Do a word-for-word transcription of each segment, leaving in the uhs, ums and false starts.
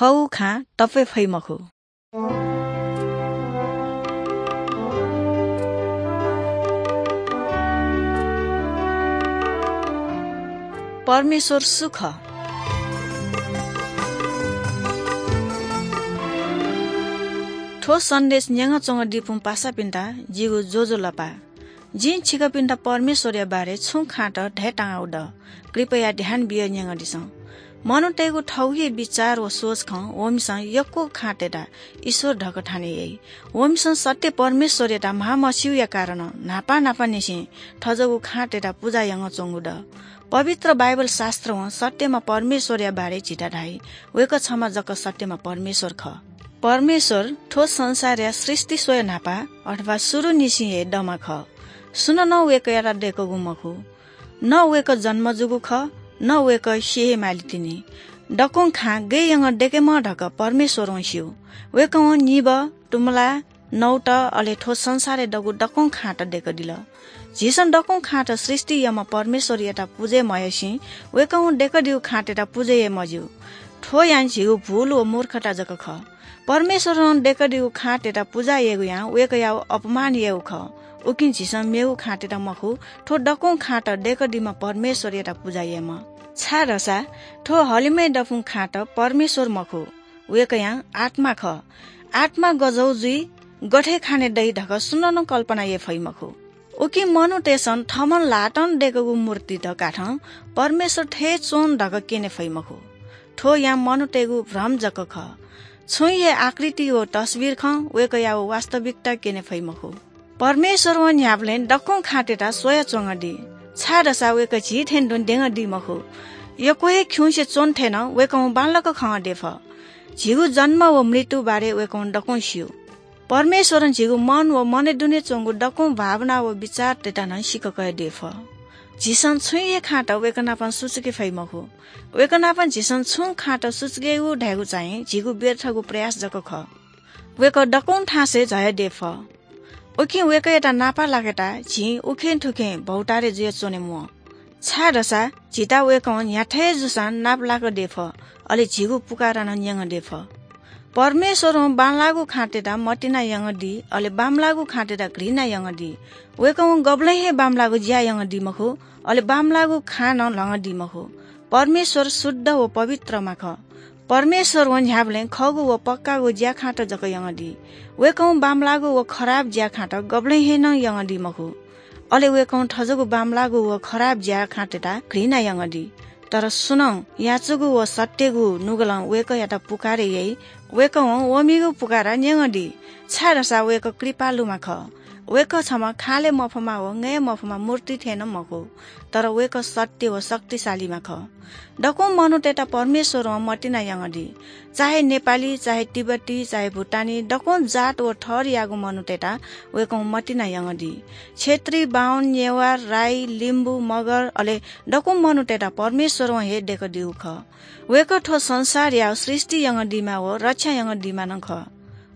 थःगु खां तपे फइ मखु। परमेश्वर सु खः? थ्व सन्देश न्यंगः च्वंगदीपुं पासापिन्त जिगु ज्वजलपा। जिं छिकपिन्त परमेश्वरया बारे छुं खाँत धयेतांगु दु। कृपया ध्यान बियाः न्यंगदिसँ। मनूतय्गु थःगु हे बिचाः व सोचखं वमिसं यक्व खाँतय्त ईश्वर धकाः थाने याइ। वमिसं सत्य परमेश्वरयात म्हामस्यूया कारणं न्हापा न्हापांनिसें थज्याःगु खाँतय्त पुजा यानाच्वंगु दु। पवित्र बाइबल शास्त्रं सत्यम्ह परमेश्वरया बारे झीत धाइ, वय्कः छम्ह जक सत्यम्ह परमेश्वर खः। परमेश्वर थ्व संसारया सृष्टि स्वया न्हापा अथवा सुरुनिसें हे दम्ह खः। सुनानं वय्कःयात दय्कूगु मखु। न वय्कः जन्म जूगु खः, न वय्कः स्यू हे माली तिनि। दक्वं खाँ गय् यानाः दय्केमाः धकाः परमेश्वरं स्यू। वय्कलं निब्व, तुमुला, नौत, अले थ्व संसारय् दःगु दक्वं खाँत दय्कादिल। झीसं दक्वं खाँत सृष्टि याःम्ह परमेश्वरयात पुजा याये मयासें वय्कलं दय्कादीगु खाँतय्त पुजा याये मज्यू। थ्व यां झीगु भूल व मूर्खता जक खः। परमेश्वरं दय्कादीगु खाँतय्त पुजा यायेगु यां वय्कःयागु अपमान यायेगु खः। उकिं झीसं मेगु खाँतय्त मखु, थ्व दक्वं खाँत दय्कादीम्ह परमेश्वरयात पुजा यायेमाः। छाय्धाःसा थ्व हलिमय् दफुं खाँत परमेश्वर मखु, वय्कःया आत्मा खः। आत्मा गज्याःगु जुइ, गथे खाने दइ धकाः सुनानं कल्पना याये फइ मखु। उकिं मनूतय्सं थःम्हं ल्हातं दय्कूगु मूर्तित काथं परमेश्वर थें च्वं धकाः क्यने फइ मखु। थ्व यां मनूतय्गु भ्रम जक खः। छुं हे आकृति व तस्वीर खं वय्कःयागु वास्तविकता क्यने फइ मखु। परमेश्वरं न्ह्याबलें दक्वं खाँतय्त स्वयाच्वंगदी, छाय्धाःसा वय्कः झी थें तुं द्यंगदी मखु। यक्व हे खिउँसे च्वन थें नं वय्कलं बांलाक खंगदये फः। झीगु जन्म व मृत्यु बारे वय्कलं दक्वं स्यू। परमेश्वरं झीगु मन व मनय् दुने च्वंगु दक्वं भावना व बिचाःतय्त नं सिक्क कयादये फः। झीसं छुं हे खाँत वय्कः नाप सुचुके फइ मखु। वय्कः नाप झीसं छुं खाँत सुचुकेगु धयागु चाहिँ झीगु व्यर्थगु प्रयास जक खः। वय्कः दक्वं थासय् झायादये फः। उकिं वय्कःयात नापलाकेत झी उखें थुखें भौताय् जुयाच्वने म्वाः। छाय्धाःसा झीत वय्कलं न्ह्याथें जूसां नापलाकादये फः, अले झीगु पुकारा नं न्यंगदये फः। परमेश्वरं बांलाःगु खाँतय्त मतिना यंगदी, अले बांमलाःगु खाँतय्त घृणा यंगदी। वय्कलं गबलें हे बांमलाःगु ज्या यंगदी मखु, अले बांमलाःगु खां नं ल्हंगदी मखु। परमेश्वर शुद्ध व पवित्रम्ह खः। परमेश्वरं न्ह्याबलें खःगु व पक्कागु ज्याखाँत जक यंगदी। वय्कलं बांमलाःगु व खराब ज्याखाँत गबलें हे नं यंगदी मखु। अले वय्कलं थज्याःगु बांमलाःगु व खराब ज्याखाँतय्त घृणा यंगदी। तर सुनानं याचुगु व सत्यगु नुगलं वय्कःयात पुकारे याइ, वय्कलं वमिगु पुकारा न्यंगदी, छाय्धाःसा वय्कः कृपालुम्ह खः। वय्कः छम्ह खाले मफुम्ह व नये मफुम्ह मूर्ति थें नं मखु, तर वय्कः सत्य व शक्तिशालीम्ह खः। दक्वं मनूतय्त परमेश्वरं मतिना यंगदी। चाहे नेपाली, चाहे तिब्बती, चाहे भुटानी, दक्वं जात व थरयागु मनूतय्त वय्कलं मतिना यंगदी। क्षेत्री, बाहुन, नेवार, राई, लिम्बू, मगर, अले दक्वं मनूतय्त परमेश्वरं हे दय्कादीगु खः। वय्कः थ्व संसारया सृष्टि यंगदीम्ह व रक्षा यंगदीम्ह नं खः।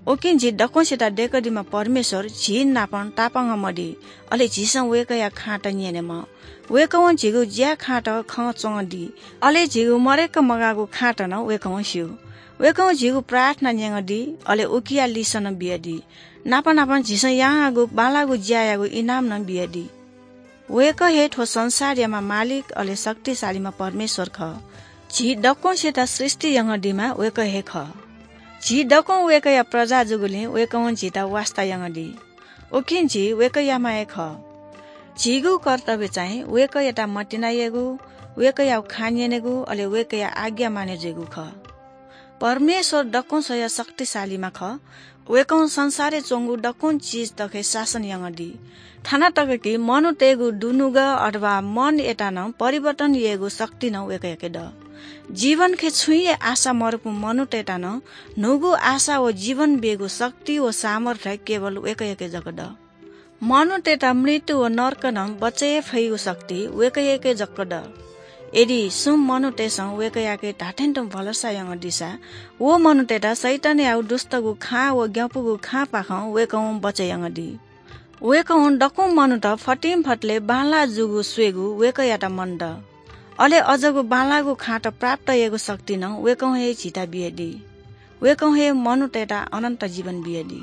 उकिं झी दक्वसित दय्कादीम्ह परमेश्वर झी नाप तापाकं मदी, अले झीसं वय्कःया खाँत न्यनेमाः। वय्कलं झीगु ज्याखाँत खंच्वंगदी, अले झीगु मदय्क मगाःगु खाँत नं वय्कलं स्यू। वय्कलं झीगु प्रार्थना न्यंगदी, अले उकिया लिसः नं बियादी। नाप नापं झीसं यानागु बांलाःगु ज्यायागु इनाम नं बियादी। वय्कः हे थ्व संसारयाम्ह मालिक, अले शक्तिशालीम्ह परमेश्वर खः। झी दक्वसित सृष्टि यंगदीम्ह वय्कः हे खः। झी दक्वं वय्कःया प्रजा जूगुलिं वय्कलं झीत वास्ता यंगदी। उकिं झी वय्कःयाम्ह हे खः। झीगु कर्तव्य चाहिँ वय्कःयात मतिना ययेगु, वय्कःयागु खँ न्यनेगु, अले वय्कःया आज्ञा मानय् जुइगु खः। परमेश्वर दक्वं स्वयाः शक्तिशालीम्ह खः। वय्कलं संसारय् च्वंगु दक्वं चिज तक हे शासन यंगदी। थन तक कि मनूतय्गु दुनुगः अथवा मनयात नं परिवर्तन यायेगु शक्ति नं वय्कःयाके दु। जीवनखे छुं हे आशा मरुपिं मनूतय्त नं न्हूगु आशा व जीवन बीगु शक्ति व सामर्थ्य केवल वय्कःयाके जक दु। मनूतय्त मृत्यु व नरकं नं बचय् याये फइगु शक्ति वय्कःयाके जक दु। यदि सुं मनूतय्सं वय्कःयाके धात्थें तुं भलसा यंगदीसा, व मनूतय्त शैतानयागु दुष्टगु खँ व ग्यंपुगु खँपाखें वय्कलं बचय् यंगदी। वय्कलं दक्वं मनूत फतिंफतले बांलाः जूगु स्वयेगु वय्कःयात मन दु। अले अज्याःगु बांलाःगु खाँत प्राप्त यायेगु शक्ति नं वय्कलं हे झीत बियादी। वय्कलं हे मनूतय्त अनन्त जीवन बियादी।